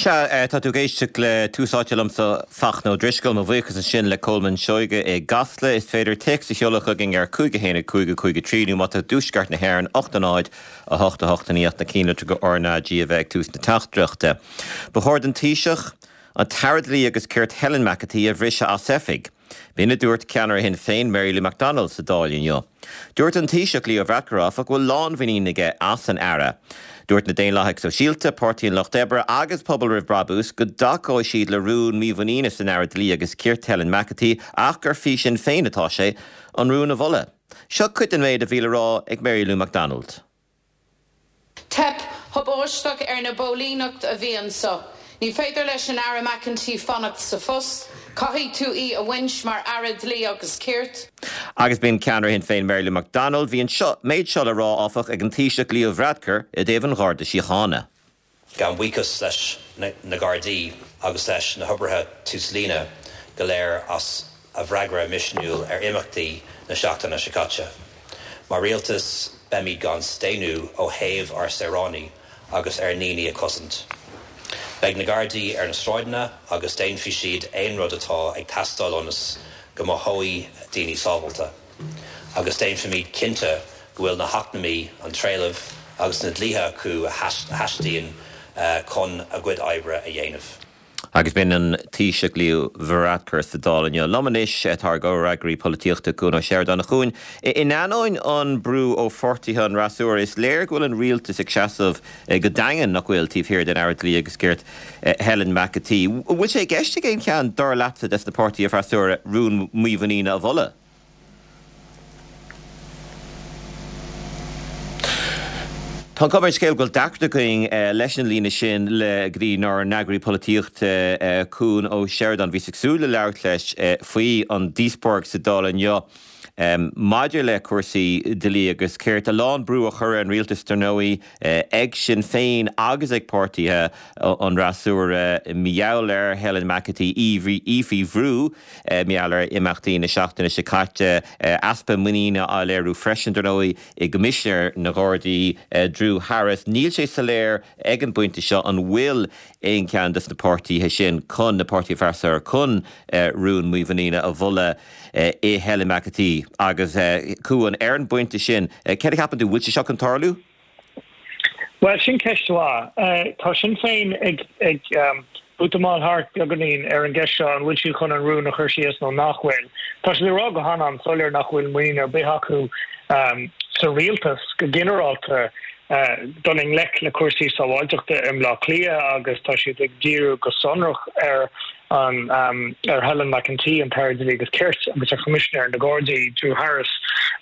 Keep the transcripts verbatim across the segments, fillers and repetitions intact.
Sea, tá tú ag éisteacht le Tús Áite liomsa Fachtna Ó Drisceoil, mo bhuíochas ansin le Colman Seoige i gCasla. Is féidir téacs a sheoladh chugainn ar cúig a haon a cúig a cúig a trí nó má tá i dtuaisceart na hÉireann ocht a náid a hocht a hocht a naoi ach na cinnlitreacha RnaG a bheith ag tús na teachtaireachta. Ba chóir don Taoiseach an tAire Dlí agus Cirt Helen McEntee a bhriseadh as oifig. B'in a dúirt ceannaire Shinn Féin Mary Lou McDonald sa Dáil inniu. Dúirt an Taoiseach Leo Varadkar áfach go bhfuil lánmhuinín aige as an Aire. Dúirt na Daonlathaigh Sóisialta, Páirtí an Lucht Oibre agus Pobal Roimh Brabús go dtacóidh siad le rún mímhuiníne san Aire Dlí agus Cirt Helen McEntee ach gur faoi Sinn Féin atá sé an rún a mholadh. Seo cuid den méid a bhí le rá ag Mary Lou McDonald. Teip thubaisteach ar na póilíneacht a bhí anseo. Ní féidir leis an Aire McEntee fanacht sa phost, caithfidh tú í a bhaint mar Aire Dlí agus Cirt. Agus b'in ceannaire Shinn Féin Mary Lou McDonald, bhí an seo méid seo le rá áfach ag an Taoiseach Leo Varadkar i dtaobh an Gharda Síochána. Gabhaim buíochas leis na Gardaí agus leis na hoibrithe túslíne go léir as a bhfreagra misniúil ar imeachtaí na seachtaine seo caite. Mar rialtas beimid gan staonadh ó thaobh ár saoránaigh agus ár ndaoine a chosaint. Beidh na Gardaí ar na sráideanna agus déanfaidh siad aon rud atá ag teastáil ionas go mothóidh daoine sábháilte. Agus déanfaimid cinnte go bhfuil na hacmhainní, an trealamh agus na dlíthe acu a theastaíonn chun a gcuid oibre a dhéanamh. Agus b'in an Taoiseach Leo Varadkar sa Dáil inniu. Liom anois tá ár gcomhfhreagraí polaitíochta Cuan Ó Seireadáin. A Chuain, in ainneoin an brú ó pháirtithe an fhreasúra, is léir go bhfuil an rialtas ag seasamh go daingean nach bhfuil taobh thiar den Aire Dlí agus Cirt Helen McEntee. Bhfuil sé i gceist ag aon cheann dar leatsa des na páirtithe freasúra rún mímhuiníne a mholadh? Tá an chuma ar an scéal go bhfuil deacracht againn leis an líne sin le go dtí ár n-eagraí polaitíochta Cuan Ó Seireadáin. Bhíos ag súil le labhairt leis faoi an díospóireacht sa Dáil inniu maidir le cúrsaí dlí agus cirt. A lán brú á chur ar an rialtas dar ndóigh ag Sinn Féin agus ag páirtithe an fhreasúra mar gheall ar Helen McEntee, í faoi bhrú mar gheall ar imeachtaí na seachtaine seo caite, easpa muiníne á léiriú freisin dar ndóigh. i gCoimisinéir na nGardaí, Drew Harris. Níl sé soiléir ag an bpointe seo an bhfuil aon cheann de na páirtithe sin chun, na páirtithe freasúra, chun rún mímhuiníne a mholadh i Helen McEntee. Agus Cuan, ar an bpointe sin, céard a cheapann tú, bhfuil sé seo chun tarlú? Bhuel, sin ceist mhaith. Tá Sinn Féin ag ag útamáil thart beagáinín ar an gceist seo, an bhfuil siad chun an rún a chur síos nó nach bhfuil. Tá siad ag rá go han-an-soiléir nach bhfuil muinín ar bith acu sa rialtas go ginearálta dul i ngleic le cúrsaí sábháilteachta i mBleá Cliath agus tá siad ag díriú go sonrach ar an ar Helen McEntee, an tAire Dlí agus Cirt, agus ar Choimisinéir na Gardaí, Drew Harris.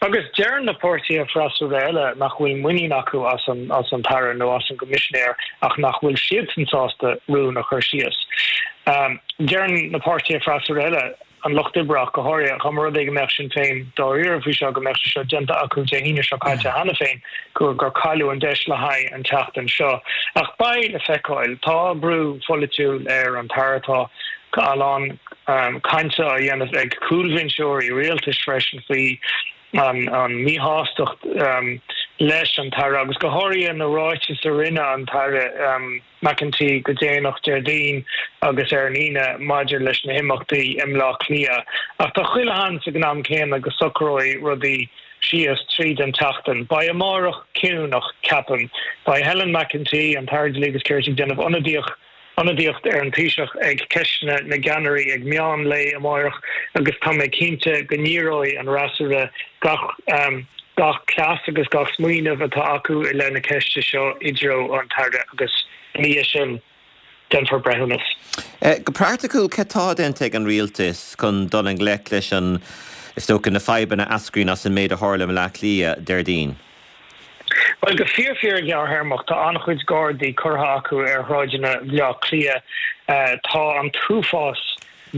Agus deireann na páirtithe freasúra eile nach bhfuil muinín acu as an as an tAire nó as an gCoimisinéir ach nach bhfuil siadsan sásta rún a chur síos. Deireann na páirtithe freasúra eile, an Lucht Oibre ach go háirithe, dá mba rud é go mbeadh Sinn Féin dáiríre faoi seo, go mbeadh sé seo déanta acu Dé hAoine seo caite cheana féin, gur gur cailleadh an deis le haghaidh an tseachtain seo. Ach beidh le feiceáil. Tá brú pholaitiúil ar an tAire. Tá a lán cainte á dhéanamh ag cúlbhinseoirí rialtais freisin faoi an an míshástacht leis an tAire agus go háirithe na ráitis a rinne an tAire McEntee go déanach Déardaoin agus ar an Aoine maidir leis na himeachtaí i mBleá Cliath. Ach tá chuile sheans ag an am céanna go socróidh rudaí síos tríd an tseachtain. Beidh amárach ciúin ach ceapaim. Beidh Helen McEntee, an tAire Dlí agus Cirt ag déanamh ionadaíocht ionadaíocht ar an Taoiseach ag Ceisteanna na gCeannairí ag meán lae amárach agus tá mé cinnte go ndíreoidh an fhreasúra gach gach cleas agus gach smaoineamh atá acu i leith na ceiste seo i dtreo an tAire agus ina dhiaidh sin déanfar breithiúnas. Go praiticiúil, cad tá déanta ag an rialtas chun dul i ngleic leis an, is dócha, na fadhbanna a eascraíonn as an méid a tharla i mBleá Cliath Déardaoin? Bhuel, go fíor fíor gearrthéarmach, tá an-chuid Gardaí curtha acu ar shráideanna Bhleá Cliath. Tá an t-uafás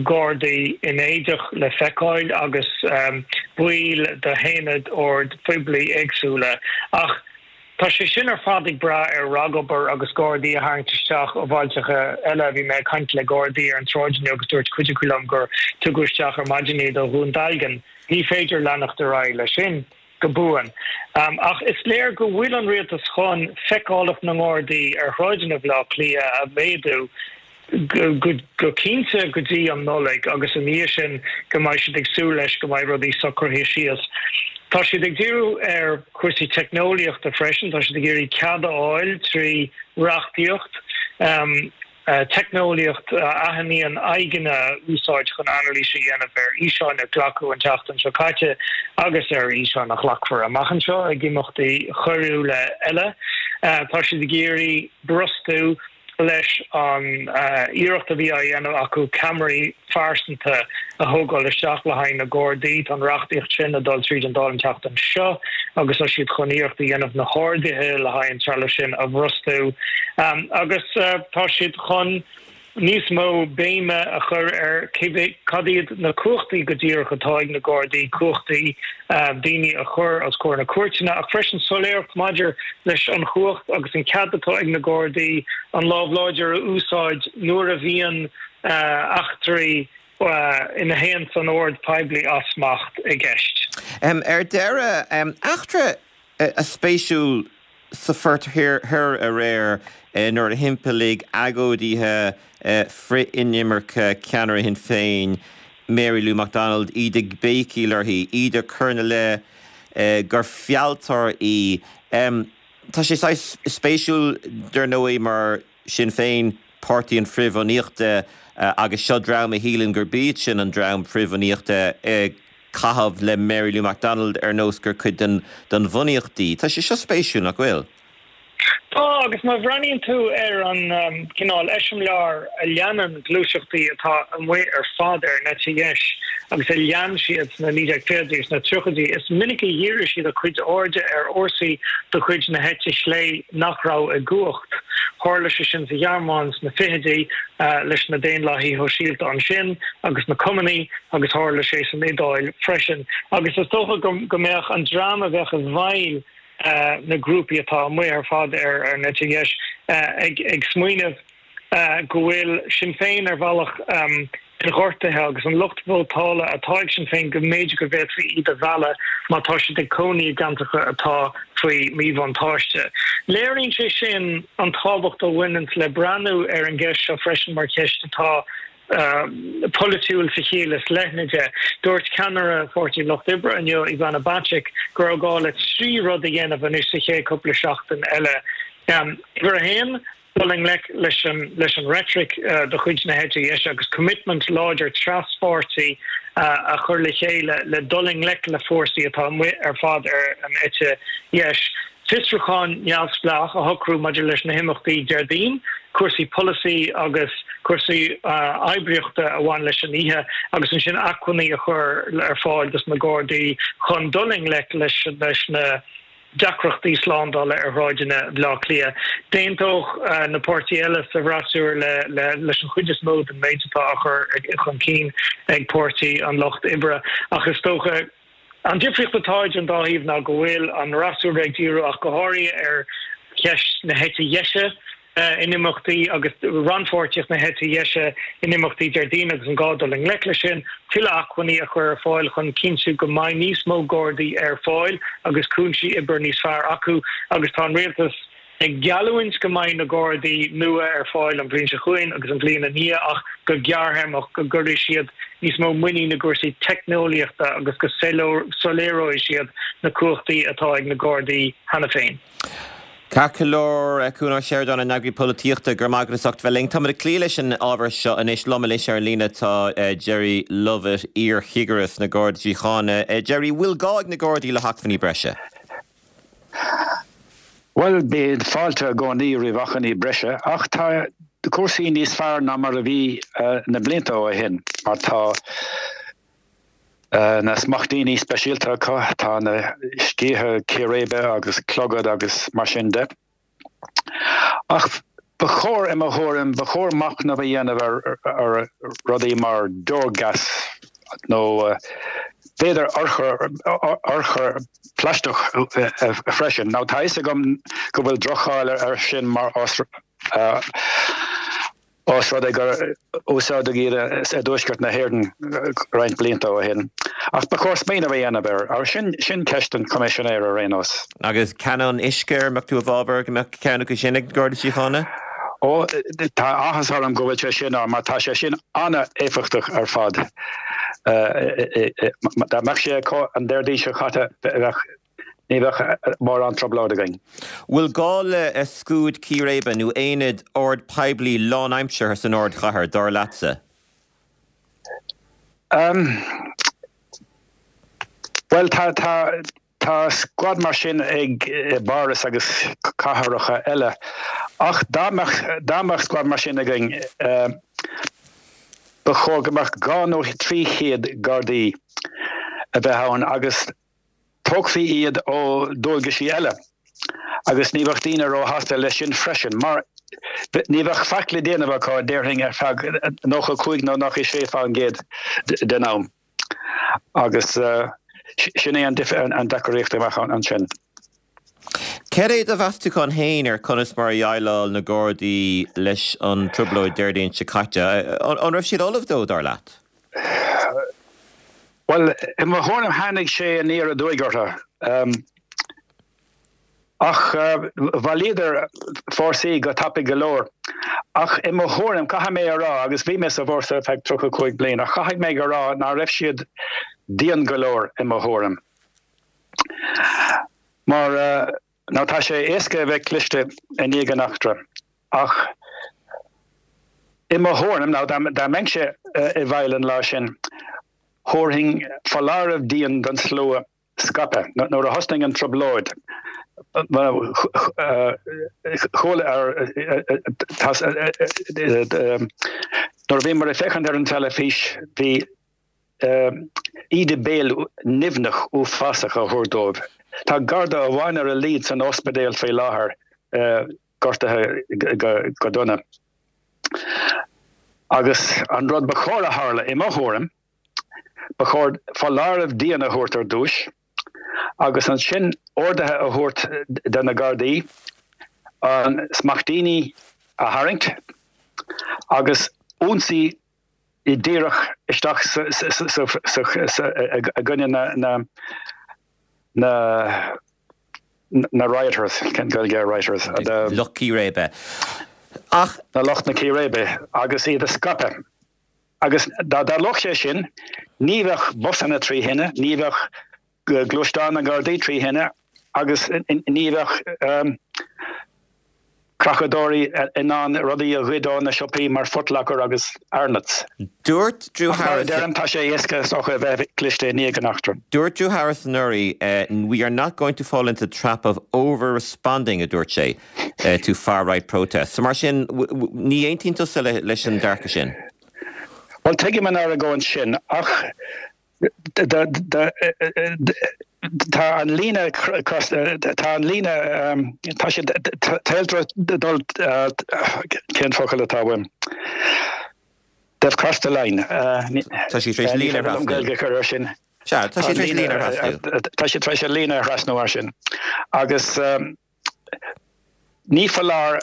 Gardaí in éadach le feiceáil agus baill d'aonaid oird phoiblí éagsúla. Ach tá sé sin ar fad ag brath ar ragobair agus Gardaí a tharraingt isteach ó bhailteacha eile. Bhí mé ag caint le Gardaí ar an tsráid inniu agus dúirt cuid acu liom gur tugadh isteach ar maidin iad ó Dhún Dealgan. Ní féidir leanacht ar aghaidh leis sin. go buan. Ach is léir go bhfuil an rialtas chun feiceálacht na nGardaí ar shráideanna Bhaile Átha Cliath a mhéadú. go cinnte go dtí an Nollaig agus ina dhiaidh sin go mbeidh siad ag súil leis go mbeidh rudaí socraithe síos. Tá siad ag díriú ar chúrsaí teicneolaíochta freisin, tá siad ag iarraidh cead a fháil trí reachtaíocht teicneolaíocht a aithníonn aghaidheanna a úsáid chun anailís a dhéanamh ar fhíseáin a glacadh an tseachtain seo caite agus ar fhíseáin a ghlacfar amach anseo ag imeachtaí coiriúla eile. Tá siad ag iarraidh brostú leis an iarracht a bhí á dhéanamh acu ceamaraí phearsanta a thógáil isteach le haghaidh na Gardaí. Tá an reachtaíocht sin ag dul tríd an Dáil an tseachtain seo agus tá siad chun iarracht a dhéanamh na horduithe le haghaidh an trealamh sin a bhrostú. Agus tá siad chun níos mó béime a chur ar cad iad na cumhachtaí go díreach atá ag na Gardaí, cumhachtaí daoine a chur os comhair na cúirteanna, ach freisin soiléireacht maidir leis an chumhacht agus an cead atá ag na Gardaí an lámh láidir a úsáid nuair a bhíonn eachtraí ina théann an ord poiblí as smacht i gceist. Ar deireadh, eachtra spéisiúil sa Phort Thoir aréir nuair a thimpeallaigh agóidithe frith-inimirce ceannaire Shinn Féin, Mary Lou McDonald, iad ag béicíl uirthi, iad ag cur ina leith gur fealltóir í. Tá sé saghas spéisiúil dar ndóigh mar Sinn Féin, páirtí an frithbhunaíochta agus seo dream a shíleann gurb iad sin an dream frithbhunaíochta ag caitheamh le Mary Lou McDonald ar nós gur cuid den den bhunaíocht í. Tá sé seo spéisiúil, nach bhfuil? Tá, agus má bhreathnaíonn tú ar an cineál eiseamláir a leanann gluaiseachtaí atá amuigh ar fad ar an eite dheis agus a lean siad sna naoi déag fichidí agus sna tríochaidí, is minic a dhírigh siad a gcuid airde ar fhórsaí de chuid na heite chlé nach raibh i gcumhacht. Tharla sé sin sa Ghearmáin sna fichidí leis na Daonlathaithe Shóisialta ansin agus na Cumannaigh agus tharla sé san Iodáil freisin. Agus is dócha go mbeadh an dream a bheadh i bhfeighil na grúpaí atá amuigh ar fad ar an eite dheis ag smaoineamh go bhfuil Sinn Féin ar bhealach gortaithe agus an lucht vótála atá ag Sinn Féin go mb'fhéidir go bhféadfaí iad a mhealladh má tá siad ag cónaí i gceantracha atá faoi mhíbhuntáiste. Léiríonn sé sin an tábhacht a bhaineann le breathnú ar an gceist seo freisin mar cheist atá polaitiúil sa chiall is leithne de. Dúirt ceannaire Pháirtí an Lucht Oibre inniu, Ivana Bacik, go raibh gá le trí rud a dhéanamh anois sa chéad chúpla seachtain eile. Uimhir a haon, dul i ngleic leis an leis an reitric de chuid na heite dheise agus coimitmint láidir traspháirtí a chur le chéile le dul i ngleic le fórsaí atá amuigh ar fad ar an eite dheis. Fiosrúchán neamhspleách a shocrú maidir leis na himeachtaí Déardaoin, cúrsaí polasaí agus cúrsaí oibríochta a bhain leis an oíche agus ansin acmhainní a chur ar fáil dos na Gardaí chun dul i ngleic leis leis na deacrachtaí slándála ar shráideanna Bhaile Átha Cliath. D'aontódh na páirtithe eile sa bhfreasúra le leis an chuid is mó den méid atá á chur chun cinn ag Páirtí an Lucht Oibre ach is dócha an difríocht atá idir an dá thaobh ná go bhfuil an fhreasúra ag díriú ach go háirithe ar cheist na heite dheise in imeachtaí agus rannpháirtíocht na heite dheise in imeachtaí Déardaoin agus an gá dul i ngleic leis sin, tuilleadh acmhainní a chur ar fáil chun cinntiú go mbeidh níos mó Gardaí ar fáil agus cúinsí oibre níos fearr acu agus tá an Rialtas ag geallúint go mbeidh na Gardaí nua ar fáil an bhliain seo chugainn agus an bhliain ina dhiaidh ach go gearrthéarmach go gcuirfidh siad níos mó muinín i gcúrsaí teicneolaíochta agus go soiléireoidh siad na cumhachtaí atá ag na Gardaí cheana féin. Ceart go leor, Cuan Ó Seireadáin, ár n-eagraí polaitíochta, go raibh maith agat as ucht bheith linn. Táimid ag cloí leis an ábhar seo anois. Liom anois ar an líne tá Gerry Lovett, iar-chigire sna Gardaí Síochána. Gerry, bhfuil gá ag na Gardaí le hacmhainní breise? Bhuel, bíonn fáilte i gcónaí roimh acmhainní breise, ach tá cúrsaí níos fearr ná mar a bhí na blianta ó shin, mar tá na smachtíní speisialta acu, tá na sciatha círéibe agus clogaid agus mar sin de. Ach ba chóir, i mo thuairim, ba chóir machnamh a dhéanamh ar ar rudaí mar deorghas nó b'fhéidir urchar urchar plaisteach freisin. Now tá a fhios agam go bhfuil droch-cháil air sin mar Ós rud é gur úsáideadh iad i dtuaisceart na hÉireann roinnt blianta ó shin. Ach ba chóir smaoineamh a dhéanamh air. Ach sin, sin ceist don Choimisinéir ar aon nós. Agus canóin uisce, an mbeadh tú i bhfabhar go mbeadh ceann acu sin ag Garda Síochána? Ó, tá áthas orm go bhfuil sé sin ann mar tá sé sin an-éifeachtach ar fad. Dá mbeadh sé acu an Déardaoin seo caite bheadh, ní bheadh mórán trioblóid againn. Bhfuil gá le scuad círéibe nó aonad ord poiblí lánaimseartha san ardchathair, dar leatsa? Bhuel, tá, tá, tá scuad mar sin ag i bPáras agus cathracha eile ach dá mbeadh, dá mbeadh scuad mar sin againn, ba chóir go mbeadh dhá nó trí chéad Gardaí a bheith ann agus tógfaí iad ó dualgaisí eile agus ní bheadh daoine róshásta leis sin freisin mar ní bheadh faic le déanamh acu, déarfainn, ar feadh nócha cúig nó nócha sé faoin gcéad den am agus sin é an deacracht a bheadh ansin. Cad é do mheastachán féin ar conas mar a dhéileáil na Gardaí leis an trioblóid Déardaoin seo caite? An raibh siad ullamh dó, dar leat? Bhuel, i mo thuairim tháinig sé aniar aduaidh orthu. Ach bhailíodar fórsaí go tapaidh go leor. Ach i mo thuairim, caithfidh mé a rá, agus bhí mé sa bhfórsa ar feadh tríocha cúig bliain, ach caithfidh mé a rá ná raibh siad dian go leor i mo thuairim. Mar now tá sé éasca a bheith cliste i ndiaidh an eachtra, ach i mo thuairim, now dá mbeinnse i bhfeighil an lá sin, Thabharfainn foláireamh dian don slua scaipeadh nuair a thosnaigh an trioblóid. Chuala nuair a bhíomar ag féachaint ar an teilifís bhí íde béil nimhneach uafásach á thabhairt dóibh. Tá garda amháin ar a laghad san ospidéal faoi láthair, gortaithe go dona. Agus an rud ba chóir a tharla, i mo thuairim, ba chóir foláireamh dian a thabhairt ar dtúis agus ansin orduithe a thabhairt do na Gardaí an smaichtíní a tharraingt agus ionsaí díreach isteach i gcoinne na na na rioters, cén Gaeilge ar rioters? The lucht círéibe. Ach. Na lucht na círéibe agus iad a scaipeadh. Agus dá dtarlódh sé sin, ní bheadh busanna trí thine, ní bheadh gluaisteáin na nGardaí trí thine agus ní bheadh creachadóirí in ann rudaí a ghoid ó na siopaí mar Footlocker agus Arnotts. Dúirt Drew Ach mar a Harris. deirim, tá sé éasca is dócha a bheith cliste i ndiaidh an eachtra. Dúirt Drew Harris anuraidh, We are not going to fall into the trap of over-responding, a dúirt sé, to far-right protests. So mar sin, ní aontaíonn tusa leis an dearcadh sin? Bhuel, tuigim an argóint sin, ach Tá an líne tá an líne tá siad dul cén focal atá uaim? They've crossed the line. Tá siad tar éis líne a thrasnú. Gaeilge a chur air sin. Sea, tá siad tar éis líne a thrasnú. Tá siad tar éis an líne a thrasnú mar sin. Agus ní foláir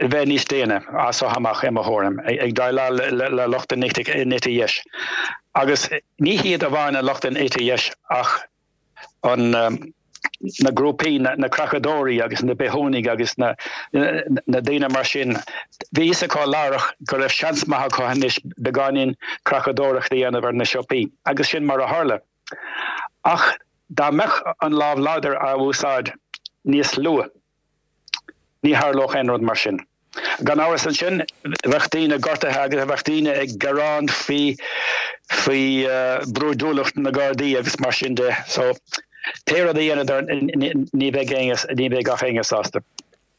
bheith níos déine as seo amach, i mo thuairim, ag déileáil le lucht an eite dheis. Agus ní hiad amháin an lucht an eite dheis ach an na grúpaí, na creachadóirí agus na bithiúnaigh agus na na daoine mar sin. Bhí fhios acu láithreach go raibh seans maith acu anois beagáinín creachadóireacht a dhéanamh ar na siopaí agus sin mar a tharla. Ach dá mbeadh an lámh láidir á úsáid níos luath, Ní tharlódh aon rud mar sin. Gan amhras ansin, bheadh daoine gortaithe agus bheadh daoine ag gearán faoi faoi brúidiúlacht na Gardaí agus mar sin de. So, pé rud a dhéanadar, ní bheidh éinne, ní bheidh gach éinne sásta.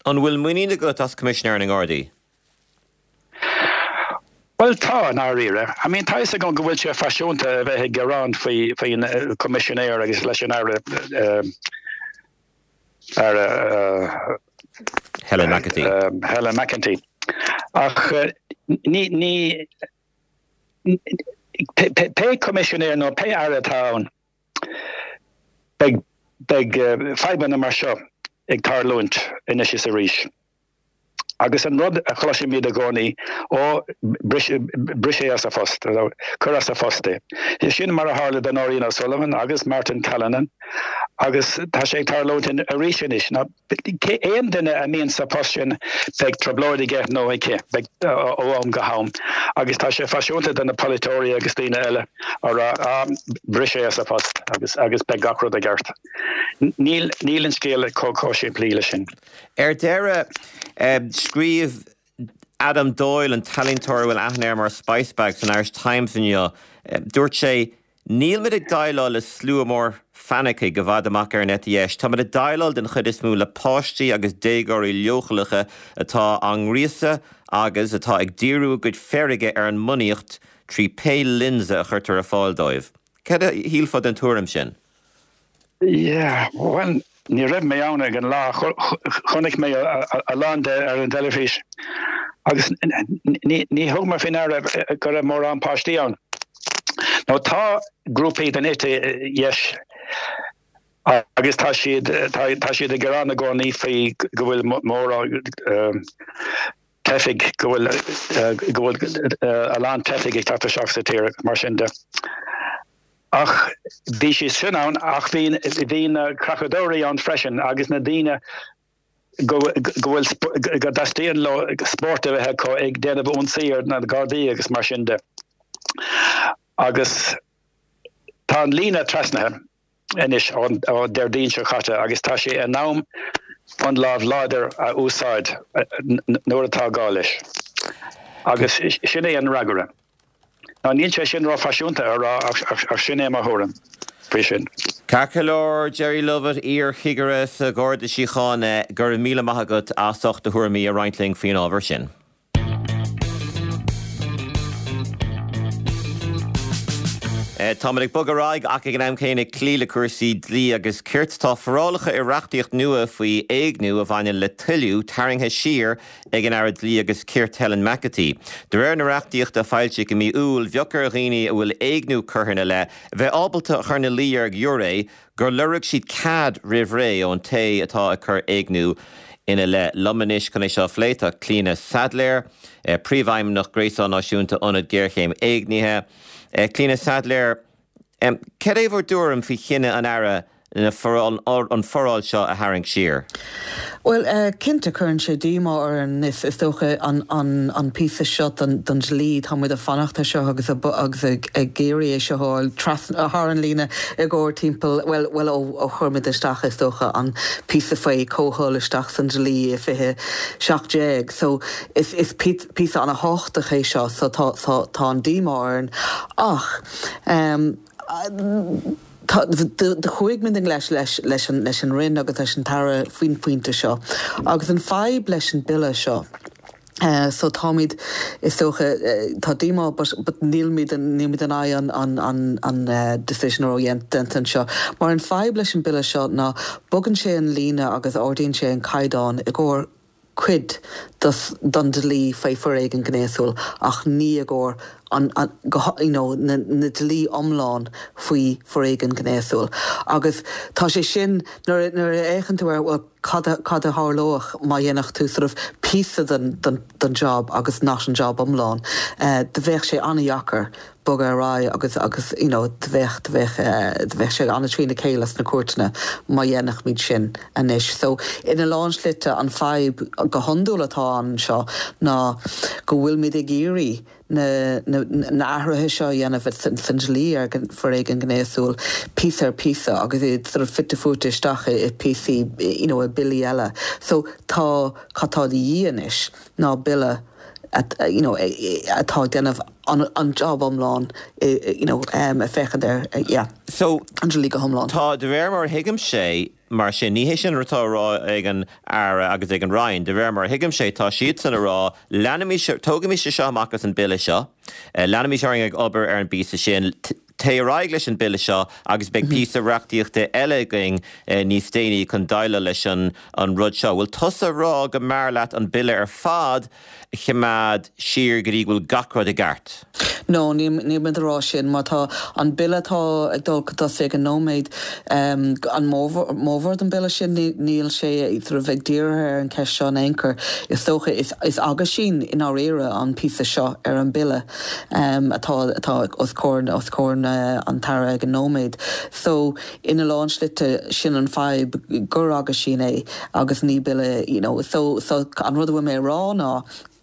An bhfuil muinín agat as Coimisinéir na nGardaí? Bhuel, tá, i ndáiríre. I mean, tá fhios agam go bhfuil sé faisiúnta a bheith ag gearán faoi faoin Coimisinéir agus leis an Aire, Aire Helen McEntee. Helen McEntee. Ach ní, ní, pé coimisinéir nó pé aire atá ann, beidh, beidh fadhbanna mar seo ag tarlúint anois is arís. Agus an rud a chloisimid i gcónaí, ó, bris, bris é as a phost, cuir as a phost é. Sin mar a tharla do Nóirín O'Sullivan agus Martin Callinan agus tá sé ag tarlúint arís anois. Ná aon duine a mbíonn sa post sin beidh trioblóid aige nó aici, beidh ó am go ham. Agus tá sé faisiúnta do na polaiteoirí agus daoine eile a rá, ah, bris é as a phost agus agus beidh gach rud i gceart. Níl, níl an scéal chomh chomh simplí leis sin. Ar deireadh, scríobh Adam Doyle, an t-ealaíontóir a bhfuil aithne air mar Spice Bag san Irish Times inniu, dúirt sé, Níl muid ag déileáil le slua mór fanaicigh i bhfad amach ar an eite dheis. Tá muid ag déileáil den chuid is mó le páistí agus déagóirí leochaileacha atá á ngríosadh agus atá ag díriú a gcuid feirge ar an mbunaíocht trí pé lionsa a chuirtear ar fáil dóibh. Cad a shílfeá den tuairim sin? Yeah, bhuel, ní raibh mé ann ag an lá, chonaic mé a lán de ar an teilifís agus ní thug mé faoi ndeara go raibh mórán páistí ann. Nó tá grúpaí den eite dheis agus tá siad tá siad ag gearán i gcónaí faoi go bhfuil mórán teifigh, go bhfuil go bhfuil a lán teifigh ag teacht isteach sa tír mar sin de. Ach bhí siad sin ann ach bhí bhí na creachadóirí ann freisin agus na daoine go go bhfuil go dteastaíonn leo spórt a bheith acu ag déanamh ionsaí ar na Gardaí agus mar sin de. Agus tá an líne trasnaithe anois ón Déardaoin seo caite agus tá sé in am an lámh láidir a úsáid nuair atá gá leis. Agus sin é an fhreagra. Ná níl sé sin rófhaisiúnta a rá ach sin é mo thuairim faoi sin. Ceart go leor, Gerry Lovett, iar-chigire sa Gharda Síochána, go raibh míle maith agat as ucht do thuairimí a roinnt linn faoin ábhar sin. Táimid ag bogadh ar aghaidh ach ag an am céanna ag cloí le cúrsaí dlí agus cirt. Tá forálacha i reachtaíocht nua faoi éigniú a bhaineann le toiliú tarraingthe siar ag an Aire Dlí agus Cirt Helen McEntee. De réir na reachtaíochta a foilsíodh i mí Iúil, bheadh ar dhaoine a bhfuil éigniú curtha ina leith bheith ábalta a chur ina luí ar ghiúiré gur lorg siad cead roimh ré ón té atá ag cur éigniú ina leith. Liom anois chun é seo a phlé tá Clíona Saidléar, Príomhfheidhmeannach Gréasán Náisiúnta Ionad Géarchéim Éignithe. Clíona Saidléar, cad é bhur dtuairim faoi chinneadh an Aire na an foráil seo a tharraingt siar? Bhuel, cinnte cuireann sé díomá orainn is is dócha an an an píosa seo den den dlí, tá muid ag fanacht air seo agus agus ag ag iarraidh é seo a fháil trasna thar an líne i gcomhair timpeall, bhuel bhuel ó ó chuir muid isteach is dócha an píosa faoi comhthoil isteach san dlí i fiche seacht déag. So is is píosa an-thábhachtach é seo so tá tá tá an díomá orainn ach ehm tá do chuaigh muid i ngleic leis leis an leis an Roinn agus leis an tAire faoin phointe seo agus an fadhb leis an bille seo so táimid is dócha tá díomá but but nílmid nílmid in aghaidh an an an an decision a raibh déanta anseo mar an fadhb leis an bille seo ná bogann sé an líne agus ardaíonn sé an caighdeán i gcomhair cuid den dlí faoi foréigean gnéasúil ach ní i gcomhair an, an, go, you know, na, na dlí iomlán faoi foréigean gnéasúil. Agus tá sé sin nuair, nuair a fhéachann tú ar well, cad a, cad a tharlódh má dhéanfadh tú sort of píosa den, den, den job agus not an job iomlán, uh, do bheadh sé an-deacair bogadh ar aghaidh agus agus you know do bheadh do bheadh eh, do bheadh sé an-trína chéile sna cúirteanna má dhéanfaimid sin anois. So ina lán slite an fadhb go hiondúil atá anseo ná go bhfuilmid ag iarraidh na na na athruithe seo a dhéanamh san san dlí ar foréigean gnéasúil píosa ar píosa agus iad sort of fite fuaite isteach i píosaí you know i billí eile. So tá cad tá de dhíth anois ná bille at, you know, atá ag déanamh an, an job iomlán you know, um, a féachaint ar yeah, So an dlí go hiomlán. Tá de réir mar a thuigim sé mar sin ní hé sin atá á rá ag an Aire agus ag an Roinn, de réir mar a thuigim sé tá siadsan ag rá leanaimis tógaimis seo amach as an bille seo, leanaimis orainn ag obair ar an bpíosa sin, téigh ar aghaidh leis an bille seo agus beidh píosa reachtaíochta eile againn níos déanaí chun déileáil leis an an rud seo. Bhfuil tusa ag rá go mb'fhearr leat an bille ar fad a choimeád siar go dtí go bhfuil gach rud i gceart? No, níl muid ag rá sin mar tá an bille atá ag dul chun tosaigh ag an nóiméad an mórbhór den bille sin níl sé sort of ag díriú ar an cheist seo in aon chor. Is dócha is aguisín i ndáiríre an píosa seo ar an bille atá atá os comhair os comhair an tAire ag an nóiméad. So ina lán slite sin an fadhb gur aguisín é agus ní bille you know so so an rud a bhfuil mé a rá ná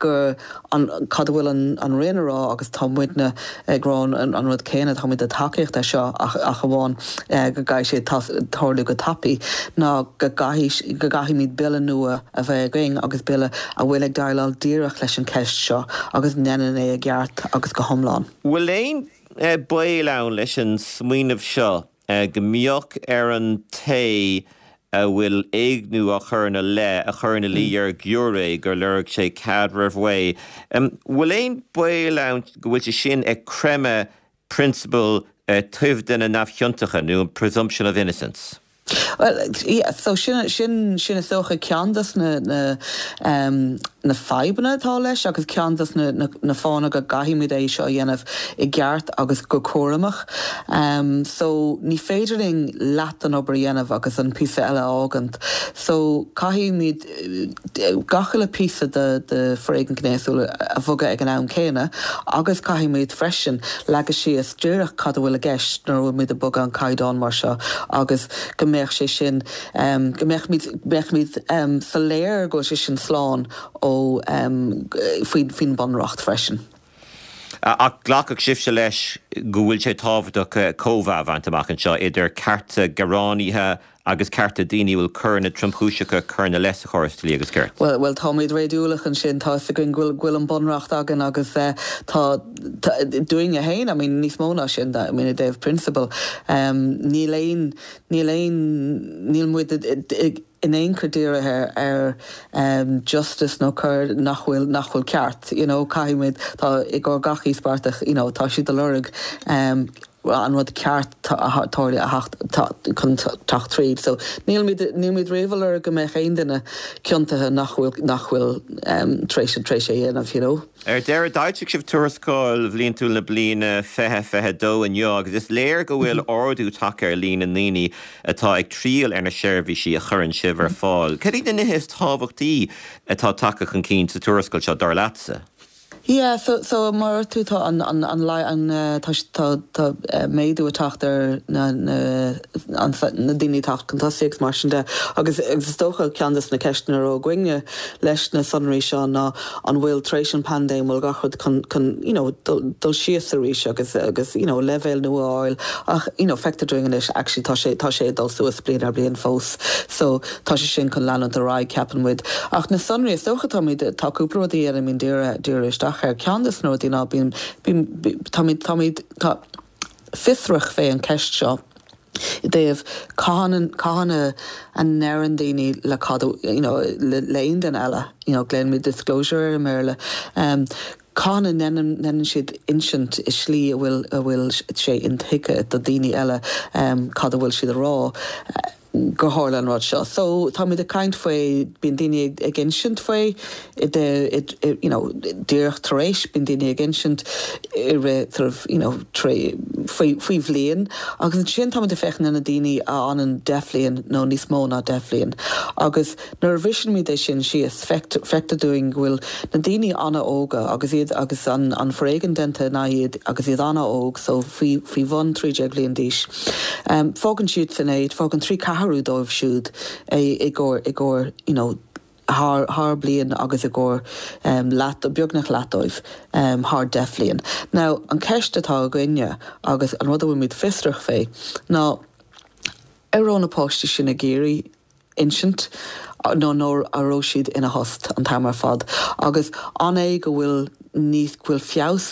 gur an cad a bhfuil an an Roinn a rá agus tá muidne ag rá an an rud céanna táimid ag tacaíocht é seo ach ach amháin go gcaithfidh sé tarlú go tapaidh ná go gcaithfidh go gcaithfimid bille nua a bheith againn agus bille a bhfuil ag déileáil díreach leis an cheist seo agus ndéanann é i gceart agus go hiomlán. Bhfuil aon baol ann leis an smaoineamh seo go mbeadh ar an té a bhfuil éigniú á chur ina leith a chur ina luí ar ghiúiré gur lorg sé cead roimh ré. Bhfuil aon baol ann go bhfuil sé sin ag creimeadh prionsabal toimhde na neamhchiontacha nó an presumption of innocence? Well, yeah, so sin sin sin is dócha ceann des na na um, na fadhbanna atá leis agus ceann des na, na, na fáthanna go gcaithfimid é seo a dhéanamh i gceart agus go cúramach. Um, so ní féidir linn leath den obair a dhéanamh agus an píosa eile a fhágaint. So caithfimid gach uile píosa de, de foréigean gnéasúil a bhogadh ag an am céanna agus caithfimid freisin leagadh síos díreach cad a bhfuil i gceist nuair a bhfuil muid ag bogadh an caighdeán mar seo agus go mbeadh sé sin um, go mbeadh mbeimid um, soiléir go sé sin slán ó um, faoin faoin bunreacht freisin. Ach glacfadh sibhse leis go bhfuil sé tábhachtach cóimheá a bhaint amach anseo idir cearta gearánaithe agus cearta daoine bhfuil coireanna tromchúiseacha curtha ina leith sa chóras dlí agus cirt. Well, well táimid réadúlach ansin tá againn go bhfuil an bunreacht againn agus uh, tá dúinne féin, I mean, níos mó ná sin I mean, i dtaobh prionsabal. Um, níl aon níl aon níl muid in aon chor dírithe ar um, justice nó cur nach bhfuil nach bhfuil ceart you know, caithfimid tá i gcomhair gach íospartach you know, tá siad ag lorg um, an rud ceart tarlú chun teacht tríd. So níl níl réhar go mbeadh aon duine ciontaithe nach bhfuil nach bhfuil um, tar éis tar éis é dhéanamh you know. Ar deireadh d'fhoilsigh sibh tuarascáil bhliantúil na bliana fiche fiche dó inniu agus is léir go bhfuil ardú tagtha ar líon na ndaoine atá ag triall ar na seirbhísí a chuireann sibh ar fáil. Cad iad na nithe is tábhachtaí atá tagtha chun cinn sa tuarascáil seo dar leatsa? Yeah, so so mar tú tá an an an an tá tá tá méadú ag teacht ar na na an na daoine teacht chun tosaigh mar sin de agus agus is dócha ceann des na ceisteanna a raibh againne leis na sonraí seo ná an bhfuil tar éis an paindéim bhfuil gach rud chun chun you know dul dul síos arís agus agus you know leibhéal nua a fháil ach you know feictear dúinn anois actually tá sé tá sé dul suas bliain ar bliain fós so tá sé sin chun leanúint ar aghaidh ceapann muid ach na sonraí is dócha táimid tá cúpla rudaí a mbíonn dírithe isteach ar ceann des na rudaí ná bíonn táimid táimid tá fiosrach fé an ceist seo i dtaobh cathain cathain a ndeireann daoine le cad you know, le le aon duine eile you know, glaoimid disclosure ar i mBéarla. Um, cathain a ndéanann siad insint i slí a bhfuil a bhfuil sé intuigthe do daoine eile um, cad a bhfuil siad a rá. gur tharla an rud seo. So táimid ag caint faoi bíonn daoine ag insint faoi i de you know, díreach tar éis bíonn daoine ag insint i rith sort of, you know, tré faoi faoi bhliain agus ansin táimid ag féachaint ar na daoine a fhanann deich mbliain nó níos mó ná deich mbliain. Agus nuair a bhrisimid é sin síos feictear dúinn go bhfuil na daoine an-óga agus iad agus an, an foréigean déanta ina iad agus iad an-óg so faoi faoi bhun trí déag bliain d'aois. Um, fágann siad san é, fágann trí ceathrú dóibh siúd é i gcomhair i gcomhair you know, thar thar bliain agus i gcomhair um, leath beagnach leath dóibh um, thar deich mbliain. Now an ceist atá againne agus an rud a bhfuilimid fiosrach fé ná ar raibh na páistí sin ag iarraidh insint nó nó a raibh siad ina thost an t-am ar fad agus an é go bhfuil níos go bhfuil feabhas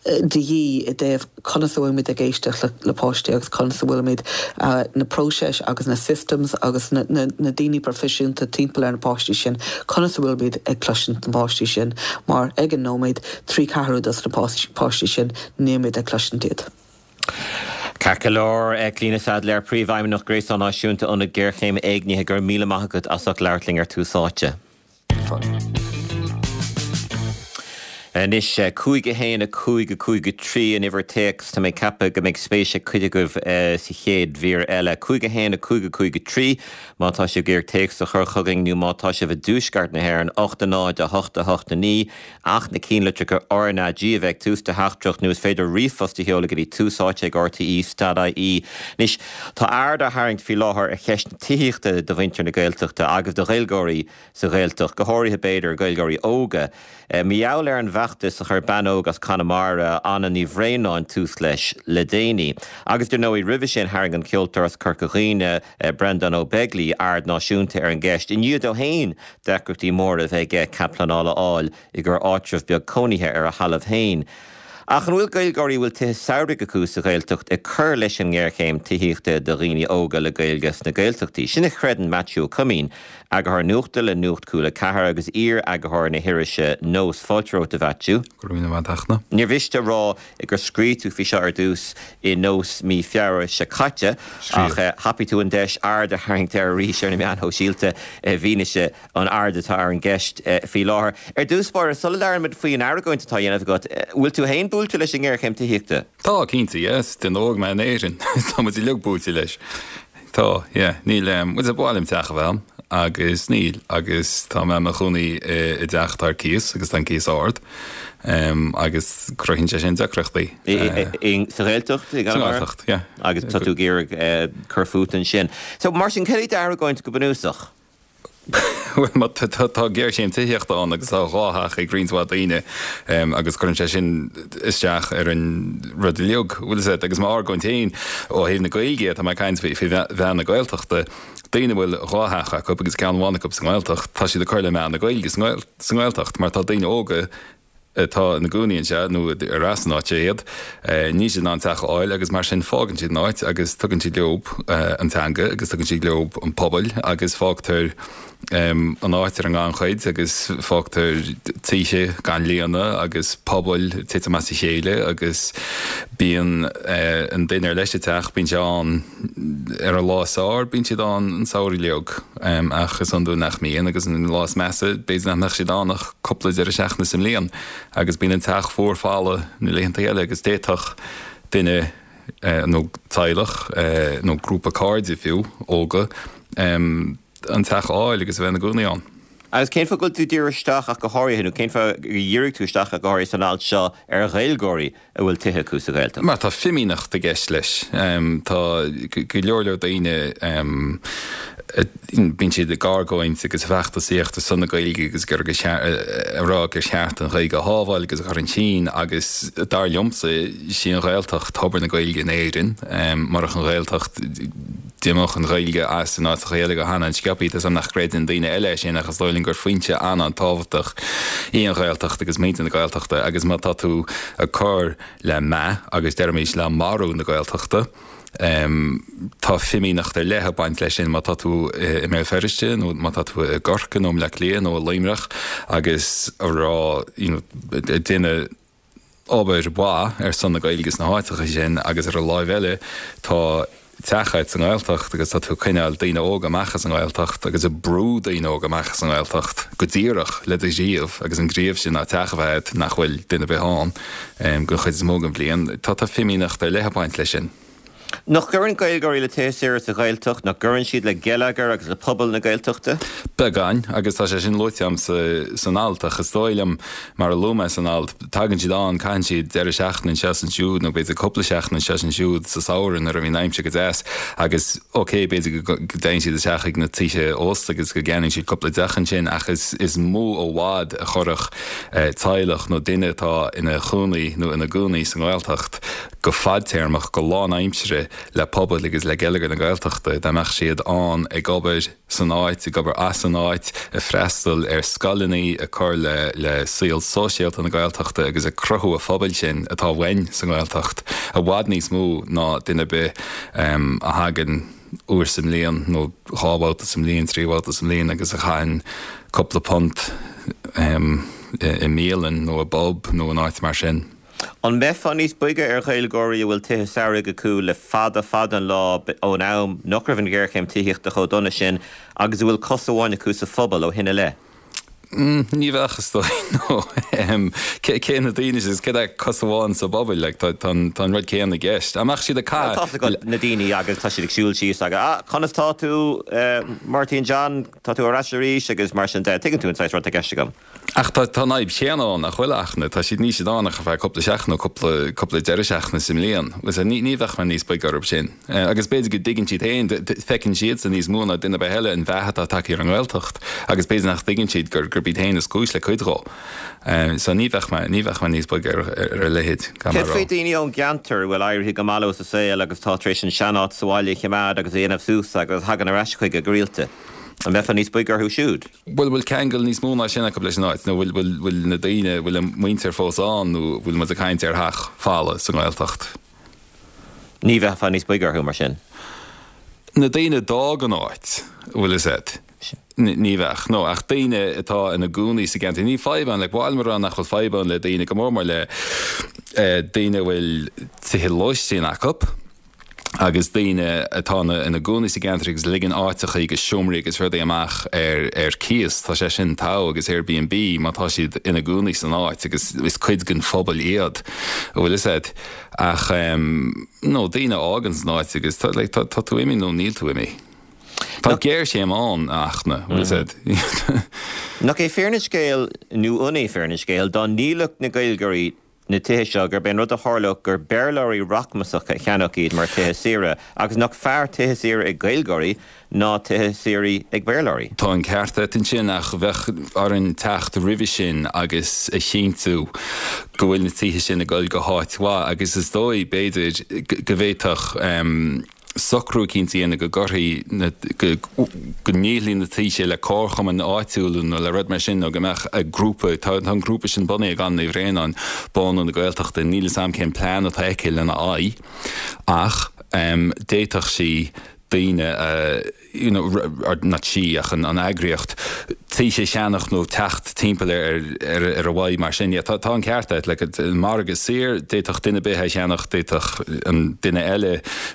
de dhíth i dtaobh conas a bhfuilimid ag éisteacht le, le páistí agus conas a bhfuilimid uh, na próisis agus na systems agus na, na, na daoine proifisiúnta timpeall ar na páistí sin, conas a bhfuilimid ag cloisint na páistí sin, mar ag an nóiméad trí ceathrú dos na páistí sin nílimid ag cloisint iad. Ceart go leor Clíona Saidléar Príomhfheidhmeannach Gréasán Náisiúnta Ionad Géarchéime Éignithe go raibh míle maith agat as ucht labhairt linn ar Tús Áite. Anois, cúig a haon a cúig a cúig a trí an uimhir téacs, tá mé ag ceapadh go mbeidh spéis ag cuid agaibh sa chéad mhír eile. Cúig a haon a cúig a cúig a trí má tá sibh ag iarraidh téacs a chur chugainn nó má tá sibh i dtuaisceart na hÉireann, ocht a náid a hocht a hocht a naoi, ach na cinnlitreacha R N A G a bheith ag tús do theachtaireacht nó is féidir ríomhphost a sheoladh go dtí tús áite ag R T E dot I E. Anois, tá aird á tharraingt faoi láthair ar cheist na tithíochta do mhuintir na Gaeltachta agus do Ghaeilgeoirí sa Ghaeltacht, go háirithe b'fhéidir Gaeilgeoirí óga. Mar gheall ar an bhfeachtas a chuir bean óg as Conamara, Anna Ní Bhraonáin, tús leis le déanaí. Agus dar ndóigh, roimhe sin tharraing an ceoltóir as Corca Dhuibhne, Breandán Ó Beaglaoi, aird náisiúnta ar an gceist i ndiaidh dó féin deacrachtaí móra a bheith aige cead pleanála a fháil i gcomhair áitreabh beag cónaithe ar a thalamh féin. Ach an bhfuil Gaeilgeoirí a bhfuil tithe samhraidh acu sa Ghaeltacht ag cur leis an ngéarchéim tithíochta do dhaoine óga le Gaeilge sna Gaeltachtaí? Sin a chreideann Maitiú Ó Coimín, eagarthóir nuachta le Nuacht Cúla Ceathair agus iar-eagarthóir na hirise Nós. Fáilte romhat, a Mhaitiú. Go raibh míle maith agat, a Fhachtna. Níor mhiste a rá gur scríobh tú faoi seo ar dtús i Nós mí Feabhra seo caite, ach thapaigh tú an deis aird a tharraingt air arís ar na meáin shóisialta i bhfianaise an aird atá ar an gceist faoi láthair. Ar dtús báire, sula labhraímid faoin argóint atá á dhéanamh agat, bhfuil tú féin buailte leis an ngéarchéim tithíochta? Tá, cinnte, yes. Duine óg mé in Éirinn. Tá muid uilig buailte leis. Tá, yeah. Níl, bhuel ba mhaith liom teach a bheith a'm agus níl agus tá mé i mo chónaí i dteach atá ar cíos agus tá an cíos ard agus cruthaíonn sé sin deacrachtaí. Sa Ghaeltacht? Sa Ghaeltacht, yeah. Agus tá tú ag iarraidh cur fút ansin. So, mar sin, cad é d'argóint go bunúsach? Bhuel, má tá géarchéim tithíochta ann agus tá dhá theach ag roinnt mhaith daoine agus cuireann sé sin isteach ar an rud uilig, bhfuil fhios agat, agus m'argóint féin ó thaobh na Gaeilge, tá mé ag caint faoi mheath na Gaeltachta, daoine a bhfuil dhá theach acu agus ceann amháin acu sa nGaeltacht, tá siad ag cur le meath na Gaeilge sa nGaeltacht mar tá daoine óga atá ina gcónaí anseo nó ar as an áit iad, níl siad in ann teach a fháil agus mar sin fágann siad an áit agus tugann siad leo an teanga agus tugann siad leo an pobal agus fágtar an áit ar an ngannchuid agus fágtar tithe gan líonadh agus pobail ag titim as a chéile agus bíonn an duine ar leis an teach, bíonn sé ann ar an lá is fearr, bíonn siad ann an samhradh uilig ach is iondúil nach mbíonn agus an lá is measa b'fhéidir nach mbeadh siad ann ach cúpla deireadh seachtaine sa mbliain agus bíonn an teach fuar folamh na laethanta eile agus d'fhéadfadh duine nó teaghlach nó grúpa cairde fiú, óga, an teach a fháil agus a bheith ina gcónaí ann. Agus cén fáth go bhfuil tú ag díriú isteach ach go háirithe, nó cén fáth gur dhírigh tú isteach ach go háirithe san alt seo ar Ghaeilgeoirí a bhfuil tithe acu sa Ghaeltacht? Mar tá fimíneacht i gceist leis. Tá go leor leor daoine, bíonn siad ag argóint agus ag feachtasaíocht ar son na Gaeilge agus ag rá gur cheart an Ghaeilge a shábháil agus a chur chun cinn agus dar liomsa, sí an Ghaeltacht tobar na Gaeilge in Éirinn. Murach an Ghaeltacht, D'imeodh an Ghaeilge as in áiteacha eile go han-an-sciobtha. Tá 's a'm nach gcreideann daoine eile é sin ach is dóigh liom gur foinse an-an-tábhachtach í an Ghaeltacht agus muintir na Gaeltachta agus má tá tú ag cur le meath agus deirimis le marú na Gaeltachta, tá fimíneacht ar leith ag baint leis sin má tá tú i mBéal Feirste nó má tá tú i gCorcaigh nó i mBleá Cliath nó i Luimneach agus a rá you know ag déanamh obair mhaith ar son na Gaeilge sna háiteacha sin agus ar an láimh eile tá teach agat sa nGaeltacht agus tá tú ag coinneáil daoine óga amach as an nGaeltacht agus ag brú daoine óga amach as an nGaeltacht go díreach le do ghníomh agus an gníomh sin ná teach a bheith agat nach bhfuil duine ar bith ann den chuid is mó den bhliain. Tá tá fimíneacht ar leith ag baint leis sin. Nach gcuireann Gaeilgeoirí le tithe saora sa Ghaeltacht, nach gcuireann siad le geilleagar agus le pobal na Gaeltachta? Beagán, agus tá sé sin luaite agam san alt, ach is dóigh liom, mar a luaigh mé san alt, tagann siad ann, caitheann siad deireadh seachtaine anseo is ansiúd, nó b'fhéidir cúpla seachtain anseo is ansiúd sa samhradh nuair a bhíonn an aimsir go deas, agus ok, b'fhéidir go dtéann siad isteach ag na tithe ósta agus go gceannaíonn siad cúpla deoch ansin, ach is mó i bhfad a chuirfeadh teaghlach nó duine atá ina chónaí nó ina gcónaí sa nGaeltacht go fadtéarmach, go lánaimseartha le pobal agus le geilleagar na Gaeltachta, dá mbeadh siad ann ag obair san áit, ag obair as an áit, ag freastal ar scoileanna, ag cur le le saol sóisialta na Gaeltachta agus ag cruthú an phobail sin atá uainn sa nGaeltacht i bhfad níos mó ná duine ar bith a thagann uair sa mbliain nó dhá bhabhta sa mbliain, trí bhabhta sa mbliain agus a chaitheann cúpla punt i mbialann nó i bpub nó in áit mar sin. An mbeifeá níos boige ar Ghaeilgeoirí a bhfuil tithe samhraidh acu le fada fada an lá ón am nach raibh an ghéarchéim tithíochta chomh dona sin agus a bhfuil cos amháin acu sa phobal ó shin i leith? Ní bheadh is dóigh no cé na daoine is cé é cos amháin sa bpobal like, tá tá an rud céanna i gceist. Amach siad a ca na daoine agus tá siad ag siúl síos agus ah, conas tá tú eh, Martin John tá tú ar ais arís agus mar sin de tuigeann tú an saghas rud i gceist agam. Ach tá tá an fhadhb chéanna ann nach bhfuil ach na tá siad ní siad ann ach ar feadh cúpla seachtain nó cúpla cúpla deireadh seachtaine sa mbliain. Agus ní ní bheadh mé níos boige orthu sin. Eh, agus b'fhéidir go dtuigeann siad féin feiceann siad sa níos mó ná duine ar bith eile an mheath atá tagtha ar an nGaeltacht agus b'fhéidir nach dtuigeann siad gur gurb iad féin is cúis le cuid dhó. Eh, so ní bheadh mé ní bheadh mé níos boige ar ar a leithéid gan Céard faoi daoine ón gceantar a bhfuil éirithe go maith leo sa saol agus tá tar éis an seanáit sa bhaile a choimeád agus a dhéanamh suas agus thagann ar ais chuige go rialta. An mbeifeá níos boige orthu siúd? Bhfuil bhfuil ceangal níos mó ná sin acu leis an áit, nó bhfuil bhfuil bhfuil na daoine bhfuil an muintir fós ann nó bhfuil muid ag caint ar theach folamh sa nGaeltacht. Ní bheifeá níos boige orthu mar sin. Na daoine a d'fhág an áit, bhfuil a fhios agat. Ní bheadh, no, ach daoine atá ina gcónaí sa gceantar. Ní fadhb ann, like, bhfuil mar nach bhfuil fadhb ann le daoine go mór mór le eh, daoine a bhfuil tithe lóistín acu agus daoine atá ina gcónaí sa gceantar agus ligean áiteacha agus seomraí agus rudaí amach ar ar cíos tá sé sin togha agus Airbnb má tá siad ina gcónaí san áit agus is cuid den phobal iad bhfuil a fhios agat ach um, no daoine a fhágann san áit agus tá like, tá, tá tú imithe nó níl tú imithe. Tá géarchéim ann ach na bhfuil a fhios agat. Nach é fírinne an scéil nó an é fírinne an scéil dá ndíolfadh na Gaeilgeoirí na tithe seo gurb é an rud a tharlódh gur Béarlóirí rachmasacha a cheannódh iad mar tithe saoire agus nach fearr tithe saoire ag Gaeilgeoirí ná tithe saoire ag Béarlóirí. Tá an ceart agat ansin ach bheadh orainn teacht roimhe sin agus a chinntiú go bhfuil na tithe sin ag dul go háit mhaith agus is dóigh b'fhéidir go bhféadfadh socrú eicínt a dhéanamh go gcuirfí na, go, go ndíolfaí na tithe le comharchumainn áitiúla nó le rud mar sin nó go mbeadh grúpa, tá, tá an grúpa sin bunaithe ag Anna Ní Bhraonáin, Bánú na Gaeltachta, níl 'fhios a'm cén plean atá aici lena aghaidh ach um, d'fhéadfadh sí daoine a, you know, or not sí ach an, an eagraíocht tithe a cheannach nó teacht timpeall ar, ar, ar a bhfadhb mar sin. Yeah, tá, tá an ceart agat, like, an margadh saor, d'fhéadfadh duine ar bith é a cheannach, d'fhéadfadh an duine eile,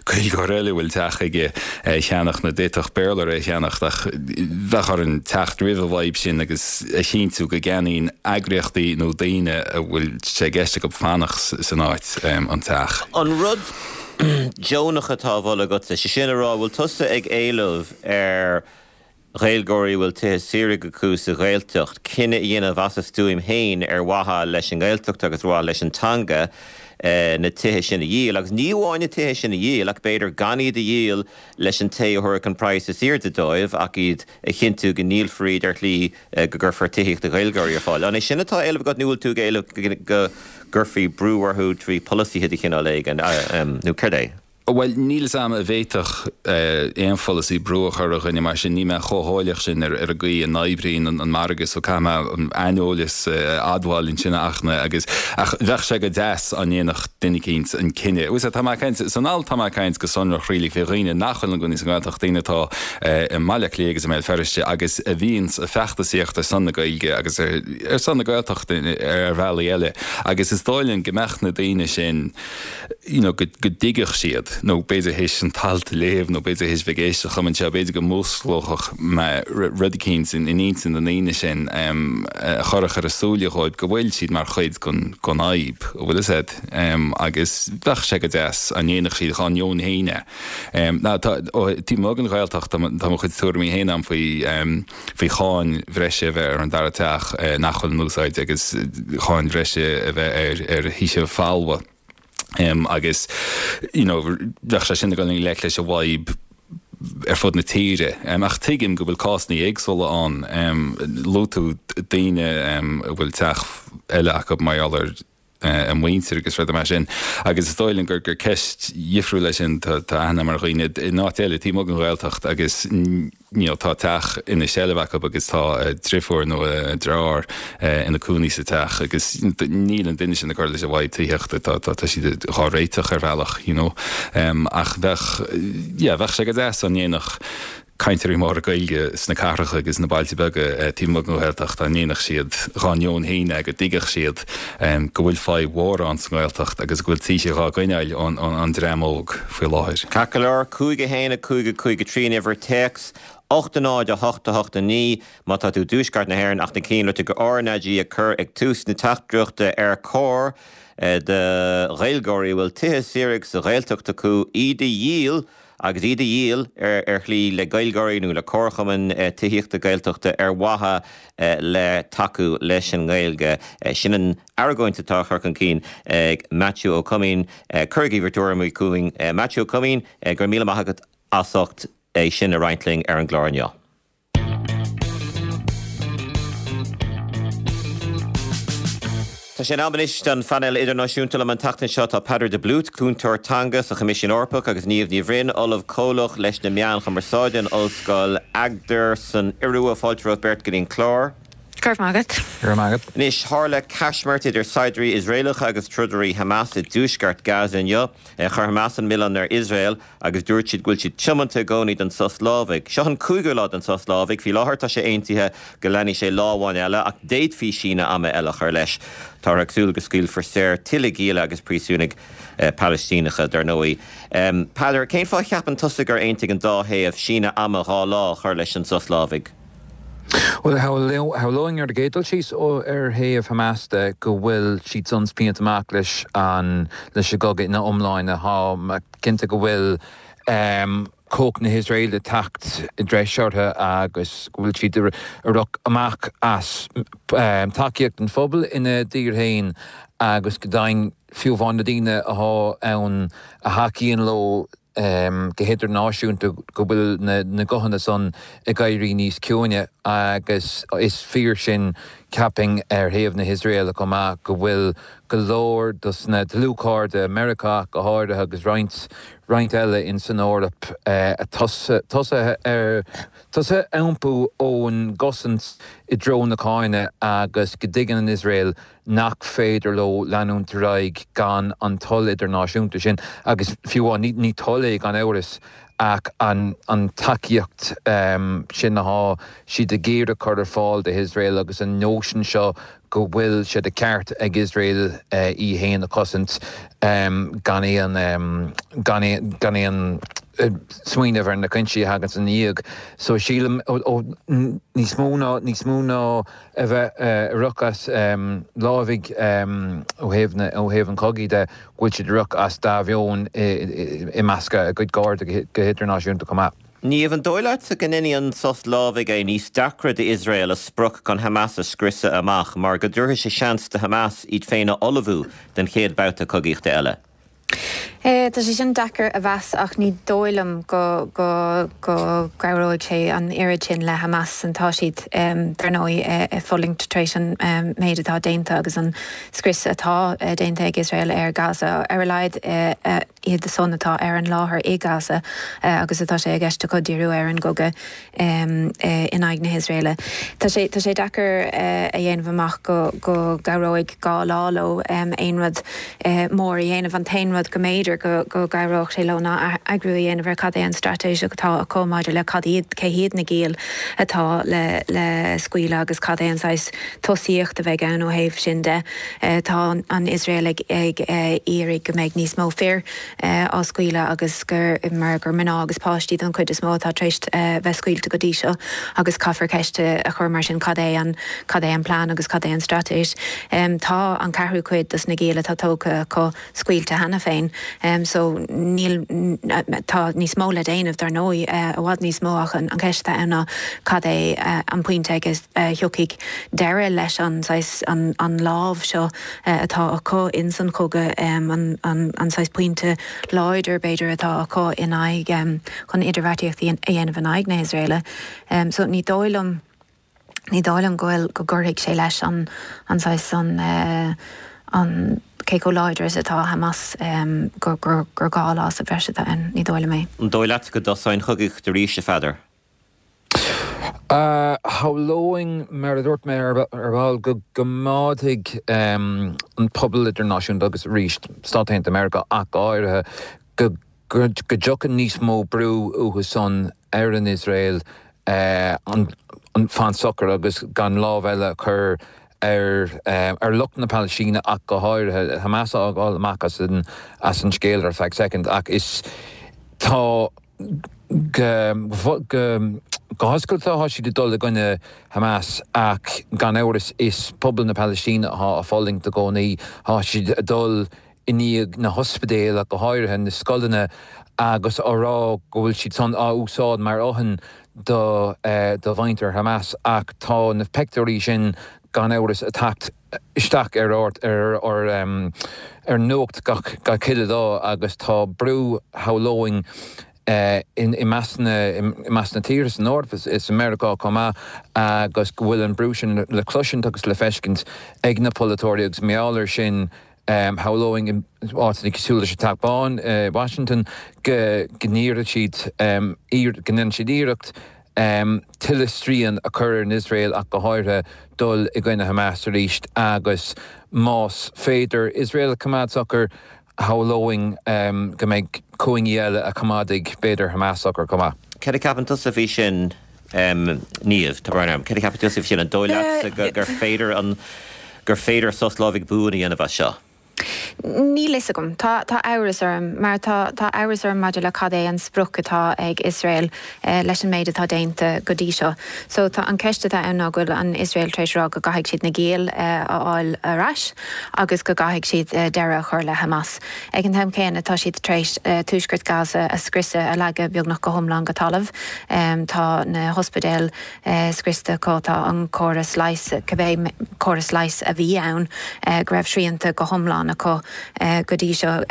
Gaeilgeoir eile a bhfuil teach aige é a cheannach nó d'fhéadfadh Béarlóir é a cheannacht ach bheadh orainn teacht roimh an bhfadhb sin agus a chinntiú go gceannaíonn eagraíochtaí nó daoine a bhfuil sé i gceist acu fanacht san áit um, an teach. An rud deonach atá á mholadh agatsa, sé sin a rá, bhfuil tusa ag éileamh ar Ghaeilgeoirí a bhfuil tithe saoire acu sa Ghaeltacht cinneadh a dhéanamh as a stuaim féin ar mhaithe leis an nGaeltacht agus ar mhaithe leis an teanga na tithe sin a dhíol agus ní amháin na tithe sin a dhíol ach b'fhéidir gan iad a dhíol leis an té a thabharfadh an praghas is airde dóibh ach iad a chinntiú go ndíolfar iad ar shlí go gcuirfear tithíocht do Ghaeilgeoirí ar fáil. An é sin atá á éileamh agat nó bhfuil tú ag éileamh go gcuirfí brú orthu trí pholasaithe de chineál éigin nó céard é? Bhuel, níl 'fhios a'm an bhféadfadh aon pholasaí brú a chur ar dhuine mar sin, níl mé chomh heolach sin ar ar an gcaoi a n-oibríonn an margadh so caithfidh mé an aineolas a admháil ansin a Fhachtna agus ach bheadh sé go deas dá ndéanfadh duine eicínt an cinneadh. Bhuel, tá mé ag caint, san alt tá mé ag caint go sonrach really fé dhaoine nach bhfuil ina gcónaí sa nGaeltacht, daoine atá i mBaile Átha Cliath agus i mBéal Feirste agus a bhíonns ag feachtasaíocht ar son na Gaeilge agus ar ar son na Gaeltachta ar bhealaí eile agus is dóigh liom go mbeadh na daoine sin you know, go go dtuigfeadh siad, nó b'fhéidir théis an t-alt a léamh, nó b'fhéidir théis bheith ag éisteacht liom anseo, b'fhéidir go músclódh mé rud eicínt in intinn na ndaoine sin a chuirfeadh ar a súile dhóibh go bhfuil siad mar chuid den fhadhb, an bhfuil fhios a'd, agus bheadh sé go deas dá ndéanfadh siad dhá ndeoin féin é. Ná tá, ó taobh amuigh den Ghaeltacht, tá mo chuid tuairimí féin a'm faoi faoi cháin bhreise a bheith ar an dara teach nach bhfuil in úsáid agus cháin bhreise a bheith ar ar thithe folmha. Agus you know bheadh sé sin ag dul i ngleic leis an bhfadhb ar fud na tíre. Ach tuigim go bhfuil cásanna éagsúla ann. Luaigh tú daoine a bhfuil teach eile acu mar gheall ar a muintir agus rudaí mar sin. Agus is dóigh liom gur gur ceist dhifriúil é sin, tá aithne agam ar dhaoine in áit eile taobh amuigh den Ghaeltacht agus you know tá teach ina seilbh acu agus tá a driofúr nó a deartháir ina cónaí sa teach agus níl an duine sin ag cur leis an bhfadhb tithíochta, tá tá tá siad dhá réiteach ar bhealach you know. Ach bheadh yeah bheadh sé go deas dá ndéanfadh cainteoirí móra Gaeilge sna cathracha agus sna bailte beaga taobh amuigh den Ghaeltacht, dá ndéanfadh siad dhá ndeoin féin é, go dtuigfeadh siad go bhfuil fadhb mhór ann sa nGaeltacht agus go bhfuil tithe dhá gcoinneáil ón dream óg faoi láthair. Ceart go leor, cúig a haon a cúig a cúig a trí an uimhir téacs, ocht a náid a hocht a hocht a naoi má tá tú i dtuaisceart na hÉireann ach na cinn luaite go RnaG a chur ag tús na teachtaireachta ar chóir do Ghaeilgeoirí a bhfuil tithe saoire sa Ghaeltacht acu iad a dhíol agus iad a dhíol ar shlí le Gaeilgeoirí nó le comharchumainn tithíochta Gaeltachta ar mhaithe le tacú leis an nGaeilge. Sin an argóint atá á chur chun cinn ag Maitiú Ó Coimín. Cuirigí bhur dtuairimí chugainn. Maitiú Ó Coimín, go raibh míle maith agat as ucht é sin a roinnt linn ar an gclár inniu. Tá sé in am anois don phainéal idirnáisiúnta. Liom an tseachtain seo tá Peadar de Blúit, cúntóir teanga sa Choimisiún Eorpach agus Niamh Ní Bhroin, Ollamh Comhlach leis na Meáin Chumarsáide in Ollscoil Agder san Iorua. Fáilte romhaibh beirt go dtí an clár. Go raibh maith agat. Go raibh maith agat. Anois, tharla caismirt idir saighdiúirí Iosraelacha agus trodairí Hamas i dtuaisceart Gaza inniu. Chuir Hamas an milleán ar Iosrael agus dúirt siad go bhfuil siad tiomanta i gcónaí don sos lámhaigh. Seo an cúigiú lá den sos lámhaigh. Faoi láthair tá sé aontaithe go leanfaidh sé lá amháin eile ach d'fhéadfaí síneadh ama eile a chur leis. Táthar ag súil go scaoilfear saor tuilleadh gialla agus príosúnaigh Palaistíneacha, dar ndóigh. Peadar, cén fáth a cheapann tusa gur aontaigh an dá thaobh síneadh ama dhá lá a chur leis an sos lámhaigh? Bhuel, shamhlóinn ar an gcéad dul síos ar thaobh Hamas de go bhfuil siad san pianta amach leis an leis an gcogadh ina iomláine. Tá cinnte go bhfuil cumhacht na hIosraeile ag teacht i dtreis orthu agus go bhfuil siad ag rith amach as tacaíocht an phobail ina dtír féin agus go deimhin fiú amháin na daoine atá ann a thacaíonn leo go hidirnáisiúnta go bhfuil na guthanna san ag éirí níos ciúine agus is fíor sin ceapaim ar thaobh na hIosraeile chomh maith go bhfuil go leor dos na dlúthchairde, Meiriceá ach go háirithe agus roinnt roinnt eile in san Eoraip tosaithe ar tosaithe iompú ón gcosaint i dtreo na cáinte agus go dtuigeann an Iosrael nach féidir leo leanúint ar aghaidh gan an toil idirnáisiúnta sin agus fiú amháin, ní toil é gan amhras ach an tacaíocht sin atá siad ag iarraidh cur ar fáil do Iosrael agus an nóisean seo go bhfuil sé de cheart ag Iosrael í fhéin a chosaint gan aon gan aon smaoineamh ar na coinsí a thagann ina dhiaidh. So sílim níos mó ná níos mó ná a bheith ag rith as lámhaigh ó thaobh na ó thaobh an chogaidh de, go bhfuil siad ag rith as dea-mheon i measc a gcuid cairde go hidirnáisiúnta chomh maith. Niamh, an dóigh leatsa go ndéanfaidh an sos lámhaigh é níos deacra d'Iosrael a sprioc chun Hamas a scriosadh amach mar go dtabharfaidh sé seans do Hamas iad féin a ullmhú don chéad bhabhta cogaíochta eile? Tá sé sin deacair a mheas ach ní dóigh liom go go go gcabhróidh sé an oiread sin le Hamas. Tá siad dar ndóigh ag fulaingt tar éis an méid atá déanta agus an scrios atá déanta ag Iosrael ar Gaza, ar a laghad iad san atá ar an láthair i Gaza agus atá sé i gceist acu díriú ar an gcogadh in aghaidh na hIosraeile. Tá sé tá sé deacair a dhéanamh amach go go gcabhróidh dhá lá leo aon rud mór a dhéanamh. An t-aon rud go mb'fhéidir go go gcabhródh sé leo ná eagrú a dhéanamh ar cad é an straitéis atá acu maidir le cad iad cé hiad na giall atá le le scaoileadh agus cad é an saghas tosaíocht a bheidh ann ó thaobh sin de. Tá an Iosrael ag ag iarraidh go mbeidh níos mó fir á scaoileadh agus gur mar gur mná agus páistí don chuid is mó atá tar éis bheith scaoilte go dtí seo agus caithfear ceist a chur mar sin cad é an cad é an plean agus cad é an straitéis. Tá an ceathrú cuid dos na giall atá tógtha acu scaoilte cheana féin so níl tá níos mó le déanamh dar ndóigh i bhfad níos mó ach an cheist atá ann ná cad é an pointe ag a thiocfaidh deireadh leis an saghas an an lámh seo atá acu ins an chogadh an an an saghas pointe láidir b'fhéidir atá acu in aghaidh chun idirbheartaíocht a dhéanamh in aghaidh na hIosraeile so ní dóigh liom ní dóigh liom go bhfuil go gcuirfidh sé leis an an saghas an an cé chomh láidir is atá Hamas gur gur gur dhá lá sa bhreis atá ann ní dóigh liom é. An dóigh leat go dtosóidh an chogaíocht arís, a Pheadair? Shamhlóinn, mar a dúirt mé ar ball, go gcoimeádfaidh an pobal idirnáisiúnta agus arís Stáit Aontaithe Meiriceá ach go háirithe, go dtiocfaidh níos mó brú uathu san ar an Iosrael fan socair agus gan lámh eile a chur ar ar lucht na Palaistíne ach go háirithe, Hamas a fhágáil amach as an as an scéal ar feadh soicind ach is tá go go Go hoscailte tá siad ag dul i gcoinne Hamas ach gan amhras is pobal na Palaistíne atá ag fulaingt i gcónaí. Tá siad ag dul i ndiaidh na hospidéil ach go háirithe na scoileanna agus á rá go bhfuil siad san á úsáid mar fhothain do do mhuintir Hamas ach tá na pictiúirí sin gan amhras ag teacht isteach ar ar ar ar nuacht gach gach uile lá agus tá brú shamhlóinn i measc na i measc na tíortha san Eoraip is i Meiriceá chomh maith agus go bhfuil an brú sin le cloisint agus le feiscint ag na polaiteoirí agus mar gheall air sin shamhlóinn in áiteanna cosúil leis an Teach Bán i Washington go go n-iarrfaidh siad go ndéanfaidh siad iarracht tuilleadh srian a chur ar an Iosrael ach go háirithe dul i gcoinne Hamas arís agus más féidir Iosrael a choimeád socair shamhlóinn go mbeidh cúinní eile a choimeádfaidh b'fhéidir Hamas socair chomh maith. Céard a cheapann tusa faoi sin, Niamh? Tá brón orm. Céard a cheapann tusa faoi sin? An dóigh leatsa gur féidir an gur féidir sos lámhaigh buan a dhéanamh as seo? Níl fhios agam. Tá tá amhras orm mar tá tá amhras orm maidir le cad é an sprioc atá ag Iosrael leis an méid atá déanta go dtí seo. So tá an ceist atá ann ná go bhfuil an Iosrael tar éis rá go gcaithfidh siad na giall a fháil ar ais agus go gcaithfidh siad deireadh a chur le Hamas. Ag an t-am céanna tá siad tar éis tuaisceart Gaza a scriosadh, a leagadh beagnach go hiomlán go talamh. Tá na hospidéil scriosta acu, tá an córas leighis, cibé córas leighis a bhí ann go raibh srianta go hiomlán acu go dtí seo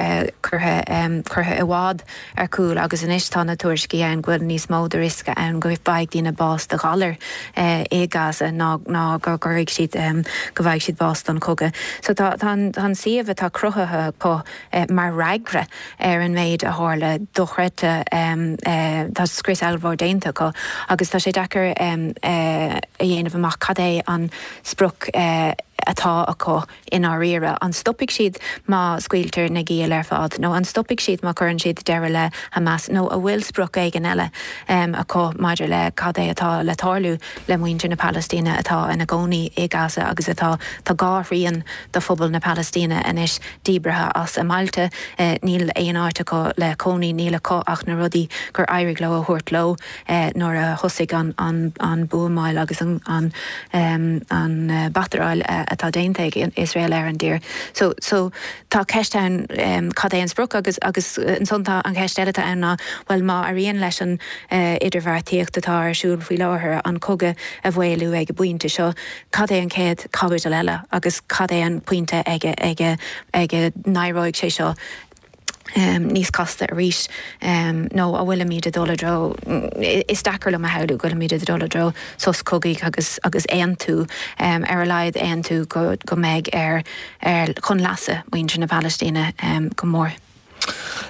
curtha curtha i bhfad ar cúl agus anois tá na tuairiscí ann go bhfuil níos mó de riosca ann go bhfaighidh daoine bás de ghalar i Gaza ná ná go gcuirfidh siad go bhfaighidh siad bás don chogadh. So tá tá an tá an suíomh atá cruthaithe acu mar fhreagra ar an méid a tharla dochreidte tá scrios ollmhór déanta acu agus tá sé deacair a dhéanamh amach cad é an sprioc atá acu i ndáiríre. An stopfaidh siad má scaoiltear na giall ar fad nó an stopfaidh siad má chuireann siad deireadh le Hamas nó an bhfuil sprioc éigin eile acu maidir le cad é atá le tarlú le muintir na Palaistíne atá ina gcónaí i Gaza agus atá tá dhá thrian de phobal na Palaistíne anois díbrithe as a mbailte. Níl aon áit acu le cónaí, níl acu ach na rudaí gur éirigh leo a thabhairt leo nuair a thosaigh an an an buamáil agus an an an bataráil atá déanta ag Iosrael ar an dtír. So so tá ceist ann cad é an sprioc agus agus ansan tá an cheist eile atá ann ná bhuel má éiríonn leis an idirbheartaíocht atá ar siúl faoi láthair an cogadh a mhaolú ag an bpointe seo, cad é an chéad chaibidil eile agus cad é an pointe ag ag ag a n-éireoidh sé seo níos casta arís nó an bhfuilimid ag dul i dtreo, is deacair liom a shamhlú go bhfuilimid ag dul i dtreo sos cogaidh agus agus aontú, ar a laghad aontú go go mbeidh ar ar chun leasa muintir na Palaistíne go mór.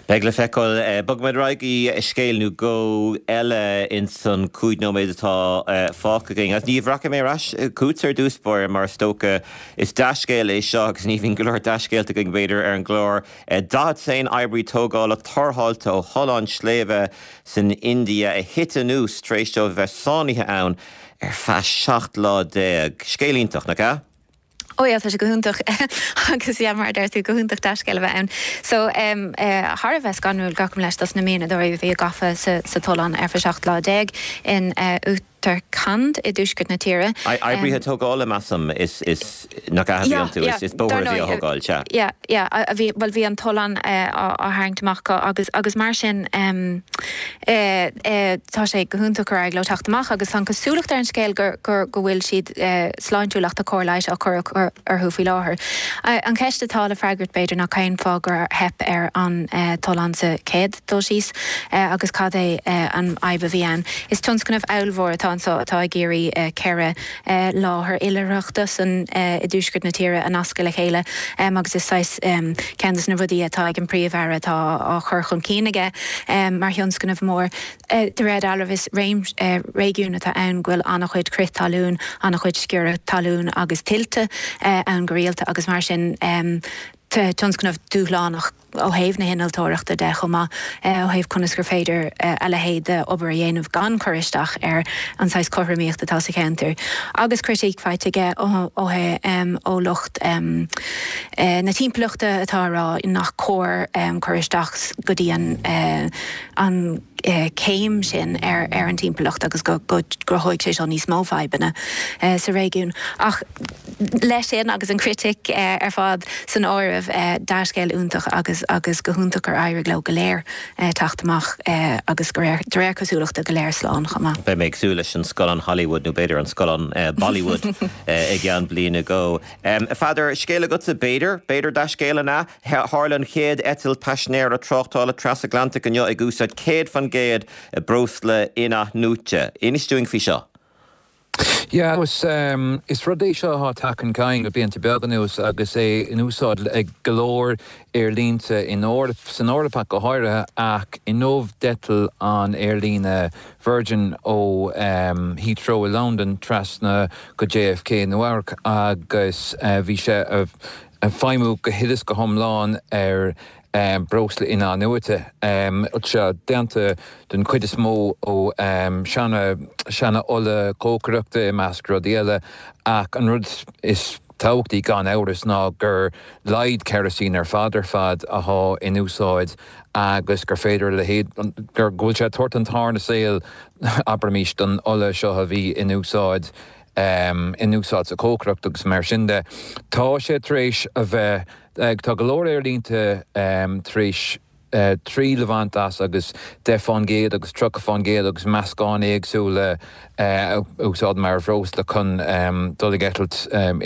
Beidh le feiceáil. Bogfaimid ar aghaidh go scéal nó dhó eile ins an cúig nóiméad atá fágtha againn. Agus Niamh, rachaidh mé ar ais chugatsa ar dtús báire mar is dócha is dea-scéal é seo agus ní bhíonn go leor dea-scéalta againn b'fhéidir ar an gclár. Daichead is aon oibrí tógála tarrtháilte ó thollán sléibhe san India a thit anuas tar éis dóibh a bheith sáinnithe ann ar feadh seacht lá déag. Scéal iontach, nach ea? Ó yeah, tá sé go hiontach agus yeah, mar a deir tú, go hiontach dea-scéal a bheith ann. So um, uh, thar a bheith scanrúil gabhaim leithscéal dos na mianadóirí a bhí gafa sa, sa tollán ar feadh seacht lá déag in uh, Uttarakhand i dtuaisceart na tíre. Oibrithe tógála measaim is is nach ea a bhí iontu, is is bóthar a bhí á thógáil, sea. Yeah, yeah, a bhí, bhuel bhí an tollán uh, á, á tharraingt amach acu agus agus mar sin um, uh, uh, tá sé go hiontach gur éirigh leo teacht amach agus tá an cosúlacht ar an scéal gur gur go bhfuil siad uh, sláintiúil ach tá cóir leighis á cur orthu faoi láthair. Uh, an cheist atá le freagairt b'fhéidir ná cén fáth gur theip ar an uh, tollán sa chéad dul síos uh, agus cad é uh, an fhadhb a bhí ann. Is tionscnamh ollmhór atá anseo atá ag iarraidh uh, ceithre uh, láthair oilithreachta san uh, i dtuaisceart na tíre a nascadh le chéile um, agus is saghas um, ceann de na rudaí atá ag an bPríomh-Aire atá á chur chun cinn aige um, mar thionscnamh mór. Uh, de réir dealraimh is réim, uh, réigiún atá ann go bhfuil an-chuid crith talún, an-chuid sciorradh talún agus tuilte uh, ann go rialta agus mar sin um, tionscnamh dúshlánach ó thaobh na hinnealtóireachta de chomh maith, ó thaobh conas gur féidir a leithéid de obair a dhéanamh gan cur isteach ar an saghas cothromaíocht atá sa cheantar. Agus critíc faighte aige ó ó lucht na timpeallachta atá ag rá nach cóir cur isteach go dtí an an céim sin ar ar an timpeallacht agus go gcruthóidh sé seo níos mó fadhbanna sa réigiún. Ach leis sin agus an chritic ar fad san áireamh, dea-scéal iontach agus agus go hiontach gur éirigh leo go léir teacht amach agus go réir de réir cosúlachta go léir slán chomh maith. Beidh mé ag súil leis an scannán Hollywood nó b'fhéidir an scannán Bollywood i gceann bliana nó dhó. A Pheadair, scéal agatsa b'fhéidir, b'fhéidir dea-scéal an ea? Tharla an chéad eitilt paisinéara tráchtála trasatlantach inniu ag úsáid céad faoin gcéad breosla in-athnuaite. Inis dúinn faoi seo. Yeah, is, um, is rud é seo atá tagtha chun cinn le blianta beaga anuas agus é in úsáid ag go leor aerlínte in Eoraip, san Eoraip ach go háirithe ach inniu d'eitil an aerlíne Virgin ó um, Heathrow i Londain trasna go J F K Nua-Eabhrac agus uh, bhí sé ag feidhmiú go huile is go hiomlán ar um, breosla in-athnuaite. Um, sé déanta den chuid is mó ó um, seana seana ola cócaireachta i measc rudaí eile ach an rud is tábhachtaí gan amhras ná gur laghad kerosene ar fad ar fad atá in úsáid agus gur féidir le gur go bhfuil sé tabhairt an tarna saol abraimis don ola seo a bhí in úsáid um, in úsáid sa chócaireacht agus mar sin de. Tá sé tar éis a bheith tá go leor aerlínte um, tar éis uh, triail a bhaint as agus deich faoin gcéad agus tríocha faoin gcéad agus meascán éagsúla uh, úsáid mar bhreosla chun um, dul ag eitilt um,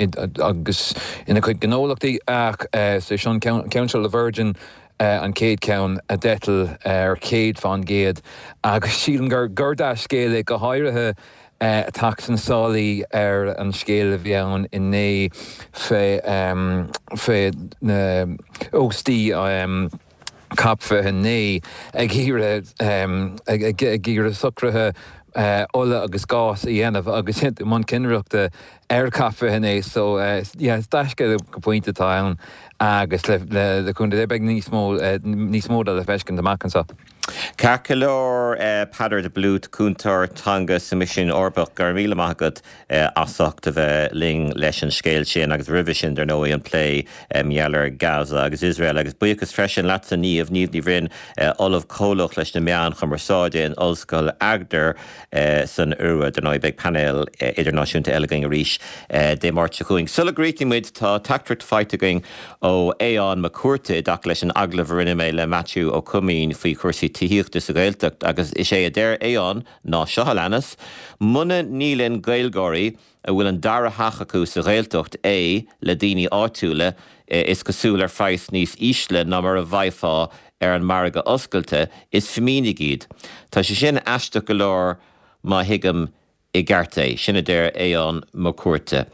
agus ina chuid gnólachtaí ach uh, sé sin ceann seo le Virgin uh, an chéad ceann a d'eitil ar céad faoin gcéad agus sílim gur gur dea-scéal é go háirithe teacht sna sála ar an scéal a bhí ann inné fé um, fé na óstaí um, COP fiche naoi ag iarraidh um, ag iarraidh socruithe uh, ola agus gás a dhéanamh agus i mbun cinnireachta ar COP fiche naoi so uh, yeah, dea-scéal go pointe atá ann agus le le le cúnamh beidh níos mó uh, níos mó le feiscint amach anseo. Ceart go leor Peadar de Blút, cúntóir teanga sa Choimisiún Eorpach, go raibh míle maith agat as ucht a bheith linn leis an scéal sin agus roimhe sin dar ndóigh an plé maidir le Gaza agus Israel agus buíochas freisin leatsa Niamh Niamh Ní Bhroin Ollamh Comhlach leis na meáin chumarsáide in Ollscoil Agder san Iorua dar ndóigh beidh painéal idirnáisiúnta eile againn arís Dé Máirt seo chugainn. Sula gcríochnaímid tá teachtaireacht faighte againn ó Aodhán Mac Cuarta i dtaca leis an agallamh a rinne mé le Matthew Ó Coimín faoi chúrsaí tithíochta sa Ghaeltacht agus is é a deir Aodhán ná seo a leanas, Muna ndíolann Gaeilgeoirí a bhfuil an dara theach acu sa Ghaeltacht é le daoine áitiúla is cosúil ar phraghas níos ísle ná mar a bhfaighfeá ar an margadh oscailte is fimínigh iad. Tá sé sin aisteach go leor má thuigim i gceart é, sin a deir Aodhán Mac Cuarta.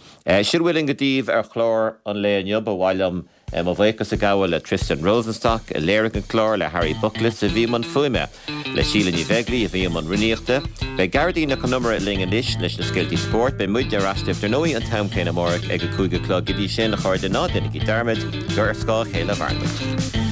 Sin a bhfuil againn daoibh ar chlár an lae inniu ba mhaith liom mo bhuíochas a ghabháil le Tristan Rosenstock a léirigh an clár le Harry Buckless a bhí i mbun fuaime, le Síle Ní Bheaglaoí a bhí i mbun rúnaíochta. Beidh Gearóidín Nic Con Iomaire linn anois leis na scéaltaí spóirt, beidh muid ar ais dar ndóigh an t-am céanna amárach ag a cúig a chlog go dtí sin a chairde ná déanaigí dearmad gur ar scáth a chéile a mhaireann muid.